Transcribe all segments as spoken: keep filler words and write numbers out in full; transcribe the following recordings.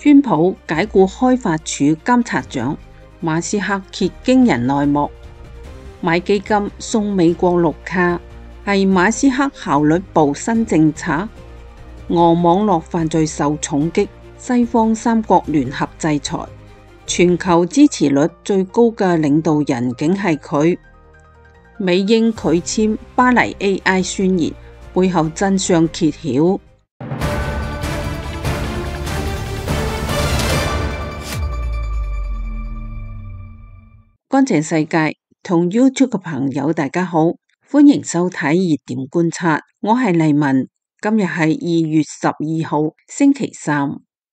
川普解雇開發署監察長，馬斯克揭驚人內幕。買基金送美國綠卡，係馬斯克效率部新政策。俄網絡犯罪受重擊，西方三國聯合制裁，全球支持率最高嘅領導人竟係佢。美英拒簽巴黎 A I 宣言，背後真相揭曉。乾淨世界同 YouTube 嘅朋友大家好，歡迎收睇熱點觀察，我係麗文。今日係二月十二號星期三，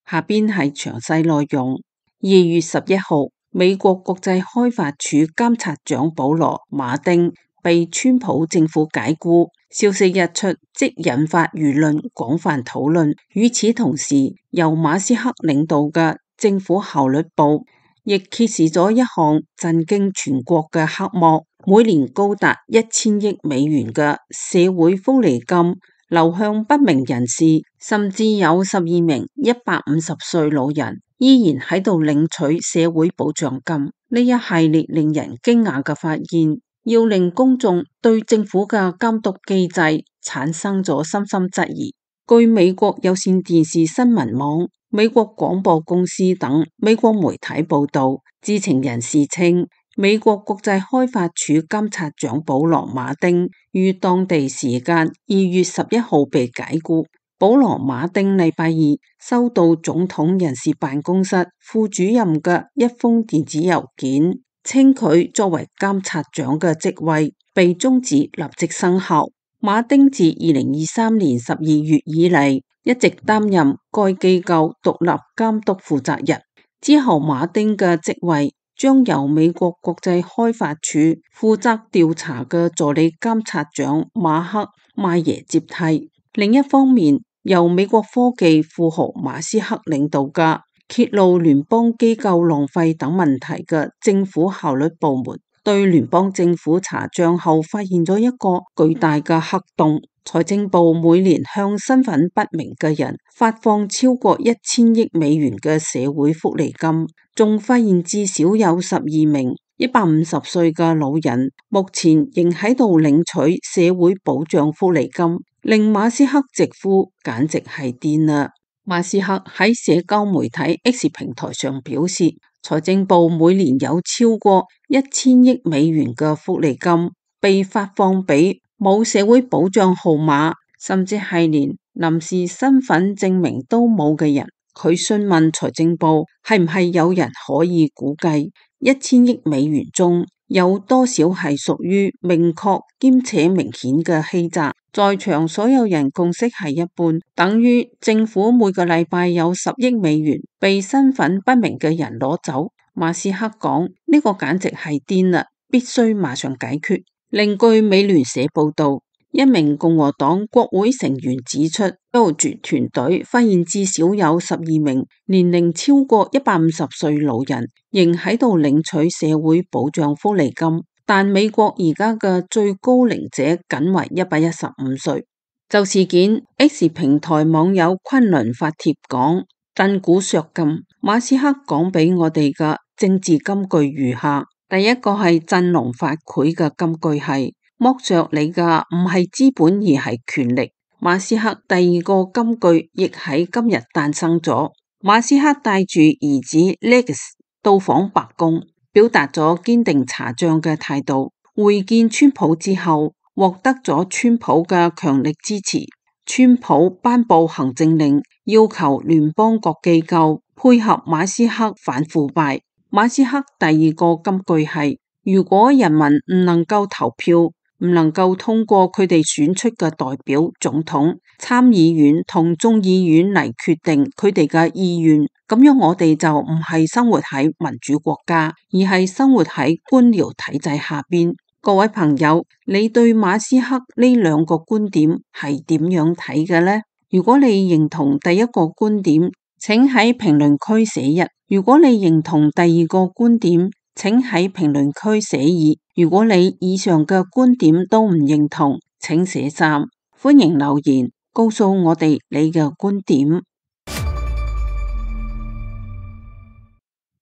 下邊係詳細內容。二月十一號，美國國際開發署監察長保羅馬丁被川普政府解雇，消息一出即引發輿論廣泛討論。與此同時，由馬斯克領導嘅政府效率部亦揭示咗一項震驚全國嘅黑幕，每年高達一千億美元嘅社會福利金流向不明人士，甚至有十二名一百五十歲老人依然喺度領取社會保障金。呢一系列令人驚訝嘅發現，要令公眾對政府嘅監督機制產生咗深深質疑。據美國有線電視新聞網、美國廣播公司等美國媒體報道，知情人士稱，美國國際開發署監察長保羅馬丁於當地時間二月十一號被解雇。保羅馬丁禮拜二收到總統人事辦公室副主任嘅一封電子郵件，稱佢作為監察長嘅職位被終止，立即生效。馬丁自二零二三年十二月以嚟一直擔任該機構獨立監督負責人。之後馬丁嘅職位將由美國國際開發署負責調查嘅助理監察長馬克邁耶接替。另一方面，由美國科技富豪馬斯克領導嘅揭露聯邦機構浪費等問題嘅政府效率部門，對聯邦政府查賬後發現咗一個巨大嘅黑洞。財政部每年向身份不明嘅人發放超過一千億美元嘅社會福利金，仲發現至少有十二名一百五十歲嘅老人目前仍喺度領取社會保障福利金，令馬斯克直呼簡直係癲啦。馬斯克喺社交媒體 X 平台上表示，財政部每年有超過一千億美元嘅福利金被發放俾冇社會保障號碼，甚至係連臨時身份證明都冇嘅人。佢詢問財政部係唔係有人可以估計一千億美元中有多少係屬於明確兼且明顯嘅欺詐。在場所有人共識係一半，等於政府每個禮拜有十億美元被身份不明嘅人攞走。馬斯克講，呢個簡直係癲啦，必須馬上解決。另據美聯社報道，一名共和黨國會成員指出，調查團隊發現至少有十二名年齡超過一百五十歲老人仍喺度領取社會保障福利金，但美國而家嘅最高齡者僅為一百一十五歲。就事件 X 平台網友昆崙發帖講，震古削今，馬斯克講俾我哋嘅政治金句如下。第一個係振聾發聵嘅金句係，剝削你嘅唔係資本而係權力。馬斯克第二個金句亦喺今日誕生咗。馬斯克帶住兒子 Lex 到訪白宮，表達咗堅定查賬嘅態度。會見川普之後，獲得咗川普嘅強力支持。川普頒布行政令，要求聯邦各機構配合馬斯克反腐敗。馬斯克第二個金句係，如果人民唔能夠投票，唔能夠通過佢哋選出嘅代表、總統、參議院同眾議院嚟決定佢哋嘅意願，咁樣我哋就唔係生活喺民主國家，而係生活喺官僚體制下邊。各位朋友，你對馬斯克呢兩個觀點係點樣睇嘅呢？如果你認同第一個觀點，請喺評論區寫一；如果你認同第二個觀點，請喺評論區寫二；如果你以上嘅觀點都唔認同，請寫三。歡迎留言告訴我哋你嘅觀點。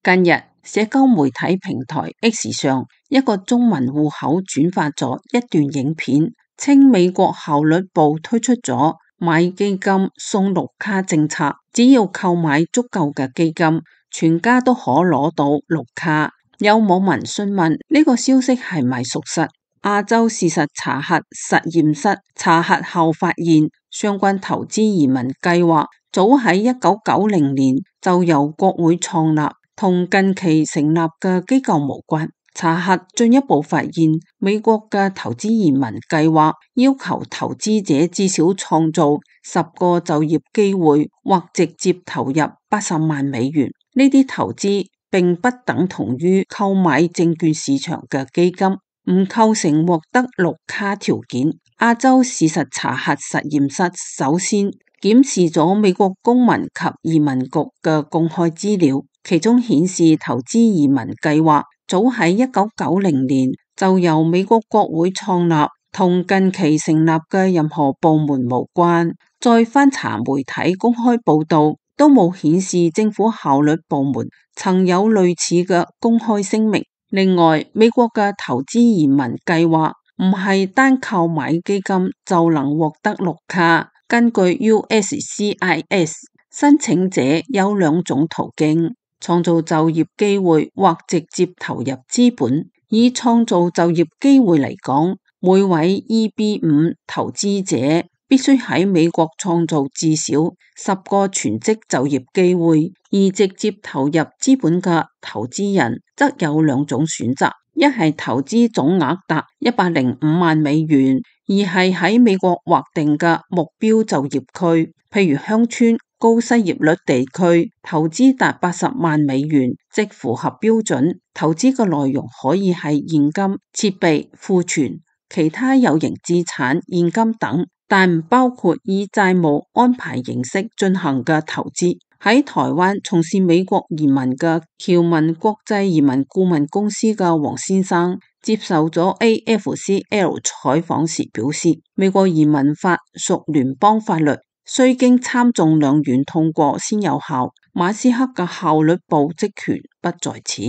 近日，社交媒體平台 X 上一個中文戶口轉發咗一段影片，稱美國效率部推出咗買基金送綠卡政策，只要購買足夠嘅基金，全家都可攞到綠卡。有網民詢問呢個消息係咪屬實？亞洲事實查核實驗室查核後發現，相關投資移民計劃早喺一九九零年就由國會創立，同近期成立嘅機構無關。查核進一步發現，美國嘅投資移民計劃要求投資者至少創造十個就業機會，或直接投入八十萬美元。呢啲投資並不等同於購買證券市場嘅基金，唔構成獲得綠卡條件。亞洲事實查核實驗室首先檢視咗美國公民及移民局嘅公開資料，其中顯示投資移民計劃早喺一九九零年就由美國國會創立，同近期成立嘅任何部門無關。再翻查媒體公開報道，都冇顯示政府效率部門曾有類似嘅公開聲明。另外，美國嘅投資移民計劃唔係單購買基金就能獲得綠卡。根據 U S C I S， 申請者有兩種途徑：創造就業機會或直接投入資本。以創造就業機會嚟講，每位 E B 五 投資者必須喺美國創造至少十個全職就業機會，而直接投入資本嘅投資人則有兩種選擇：一係投資總額達一百零五萬美元，二係喺美國劃定嘅目標就業區，譬如鄉村、高失業率地區，投資達八十萬美元，即符合標準。投資嘅內容可以係現金、設備、庫存、其他有形資產、現金等，但唔包括以債務安排形式進行嘅投資。喺台灣從事美國移民嘅僑民國際移民顧問公司嘅黃先生接受咗 A F C L 採訪時表示，美國移民法屬聯邦法律，需經參眾兩院通過先有效。馬斯克嘅效率部職權不在此。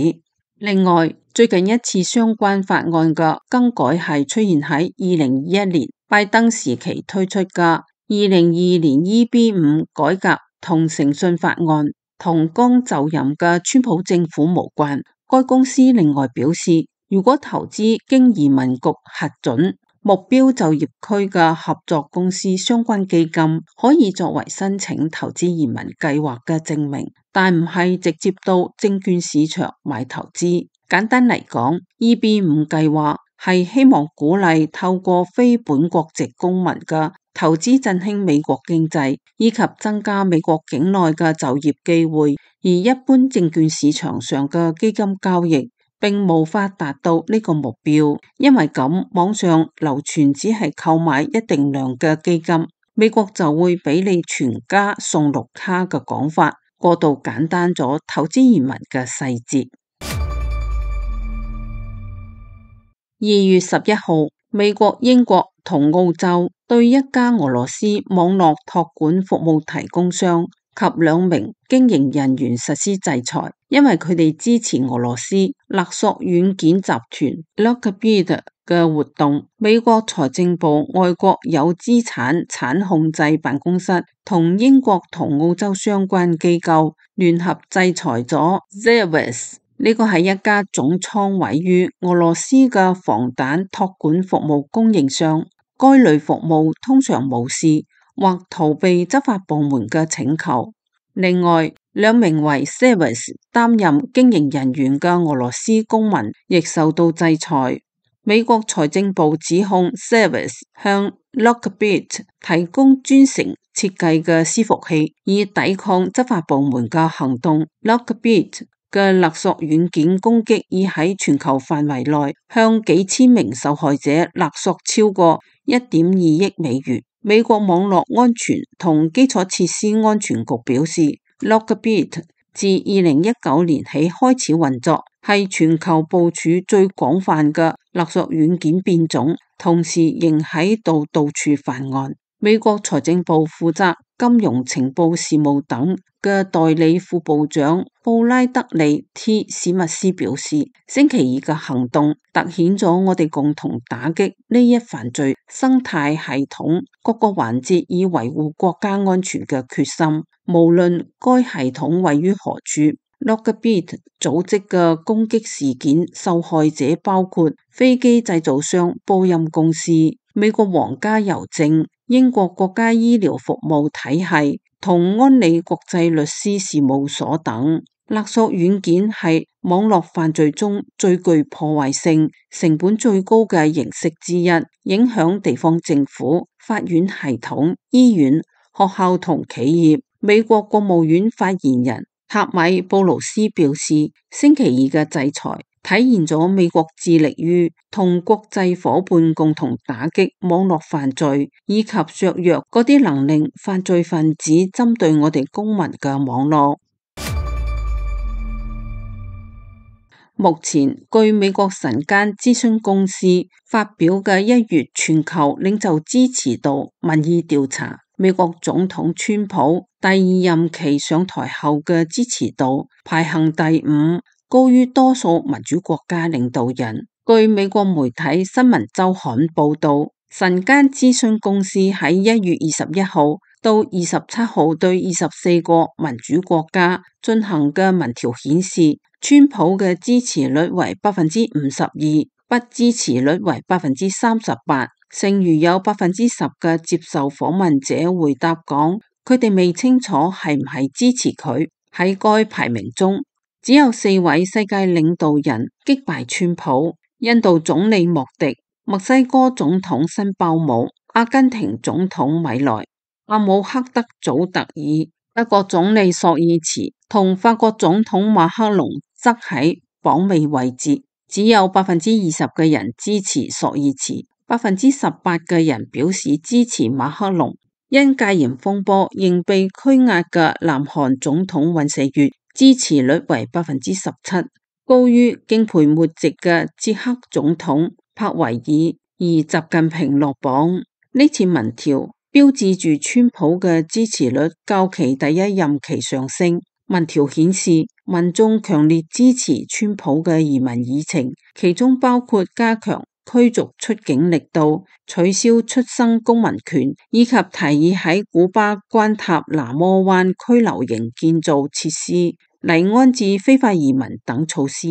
另外，最近一次相關法案嘅更改係出現喺二零二一年拜登時期推出嘅二零二二年 E B 五 改革同誠信法案，同剛就任嘅川普政府無關。該公司另外表示，如果投資經移民局核准，目標就業區嘅合作公司相關基金可以作為申請投資移民計劃嘅證明，但唔係直接到證券市場買投資。簡單嚟講 ，E B 五 計劃係希望鼓勵透過非本國籍公民嘅投資振興美國經濟，以及增加美國境內嘅就業機會，而一般證券市場上嘅基金交易並無法達到呢個目標。因為咁，網上流傳只係購買一定量嘅基金，美國就會俾你全家送綠卡嘅講法，過度簡單咗投資移民嘅細節。二月十一號，美國、英國同澳洲對一家俄羅斯網絡託管服務提供商及兩名經營人員實施制裁，因為佢哋支持俄羅斯勒索軟件集團 Lockbit 嘅活動。美國財政部外國有資產產控制辦公室同英國同澳洲相關機構聯合制裁咗 Zervus。呢個係一家總倉位於俄羅斯嘅防彈託管服務供應商，該類服務通常無視或逃避執法部門嘅請求。另外，兩名為 Zervus 擔任經營人員嘅俄羅斯公民亦受到制裁。美國財政部指控 Zervus 向 Lockbit 提供專程設計嘅伺服器，以抵抗執法部門嘅行動。Lockbit嘅勒索軟件攻擊已喺全球範圍內向幾千名受害者勒索超過一點二億美元。美國網絡安全同基礎設施安全局表示 ，Lockbit 自二零一九年起開始運作，係全球部署最廣泛嘅勒索軟件變種，同時仍喺度到處犯案。美國財政部負責金融情報事務等嘅代理副部長布拉德利 T 史密斯表示，星期二嘅行動凸顯咗我哋共同打擊呢一犯罪生態系統各個環節以維護國家安全嘅決心，無論該系統位於何處。Lockbit 組織嘅攻擊事件受害者包括飛機製造商波音公司、美國皇家郵政、英國國家醫療服務體系同安理國際律師事務所等。勒索軟件係網絡犯罪中最具破壞性、成本最高嘅形式之一，影響地方政府、法院系統、醫院、學校同企業。美國國務院發言人塔米布魯斯表示，星期二嘅制裁體現咗美國致力於同國際夥伴共同打擊網絡犯罪，以及削弱嗰啲能令犯罪分子針對我哋公民嘅網絡。目前，據美國晨間諮詢公司發表嘅一月全球領袖支持度民意調查，美國總統川普第二任期上台後嘅支持度排行第五，高於多數民主國家領導人。據美國媒體新聞週刊報道，晨間諮詢公司喺一月二十一號到二十七號對二十四個民主國家進行嘅民調顯示，川普嘅支持率為百分之五十二，不支持率為百分之三十八。剩餘有百分之十嘅接受訪問者回答講，佢哋未清楚係唔係支持佢。喺該排名中，只有四位世界領導人擊敗川普：印度總理莫迪、墨西哥總統辛鮑姆、阿根廷總統米萊、阿姆赫德祖特爾、德國總理朔爾茨同法國總統馬克龍，則喺榜尾位置。只有百分之二十嘅人支持朔爾茨，百分之十八嘅人表示支持馬克龍。因戒嚴風波仍被拘押嘅南韓總統尹錫悅支持率為百分之十七，高於敬陪末席嘅捷克總統帕維爾，而習近平落榜。呢次民調標誌住川普嘅支持率較其第一任期上升。民調顯示，民眾強烈支持川普嘅移民議程，其中包括加強驅逐出境力度、取消出生公民權，以及提議喺古巴關塔那摩灣拘留營建造設施嚟安置非法移民等措施。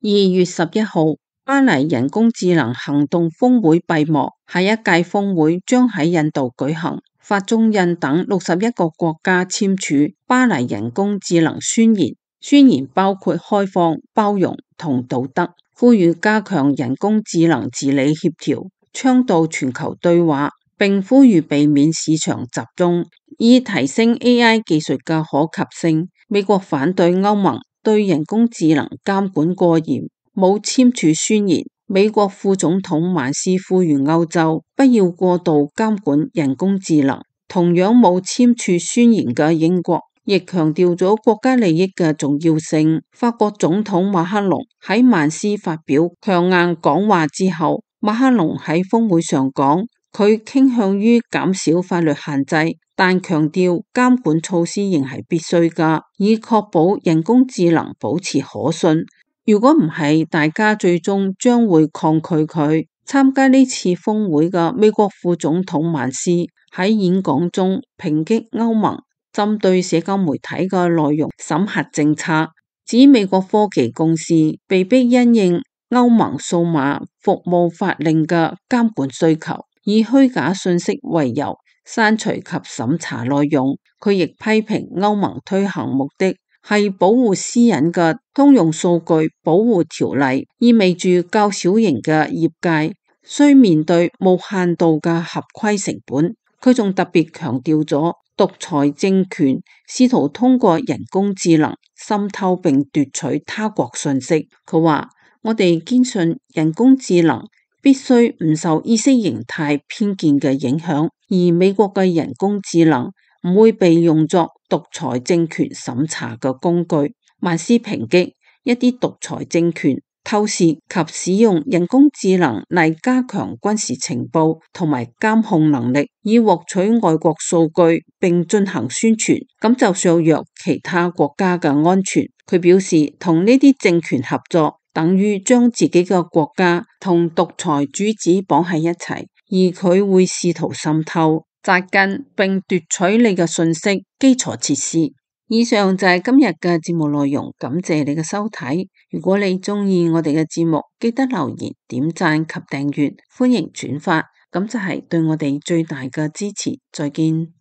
二月十一號，巴黎人工智能行動峰會閉幕，下一屆峰會將喺印度舉行。法中印等六十一個國家簽署巴黎人工智能宣言，宣言包括開放、包容同道德，呼籲加強人工智能治理協調，倡導全球對話，並呼籲避免市場集中，以提升 A I 技術嘅可及性。美國反對歐盟對人工智能監管過嚴，冇簽署宣言。美國副總統曼斯呼籲歐洲不要過度監管人工智能。同樣冇簽署宣言嘅英國亦強調咗國家利益嘅重要性。法國總統馬克龍喺曼斯發表強硬講話之後，馬克龍喺峰會上講，佢傾向於減少法律限制，但強調監管措施仍係必須㗎，以確保人工智能保持可信。如果唔係，大家最終將會抗拒佢。參加呢次峰會嘅美國副總統曼斯喺演講中抨擊歐盟針對社交媒體嘅內容審核政策，指美國科技公司被迫因應歐盟數碼服務法令嘅監管需求，以虛假信息為由刪除及審查內容。佢亦批評歐盟推行目的係保護私隱嘅通用數據保護條例，意味住較小型嘅業界需面對無限度嘅合規成本。佢仲特別強調咗獨裁政權試圖通過人工智能滲透並奪取他國信息。佢話：我哋堅信人工智能必須唔受意識形態偏見嘅影響，而美國嘅人工智能唔會被用作獨裁政權審查嘅工具。曼斯抨擊一啲獨裁政權透視及使用人工智能嚟加強軍事情報同埋監控能力，以獲取外國數據並進行宣傳，咁就削弱其他國家嘅安全。佢表示，同呢啲政權合作，等於將自己嘅國家同獨裁主子綁喺一齊，而佢會試圖滲透、扎根並奪取你嘅信息基礎設施。以上就係今日嘅節目內容，感謝你嘅收睇。如果你鍾意我哋嘅節目，記得留言、點讚及訂閱，歡迎轉發，咁就係對我哋最大嘅支持。再見。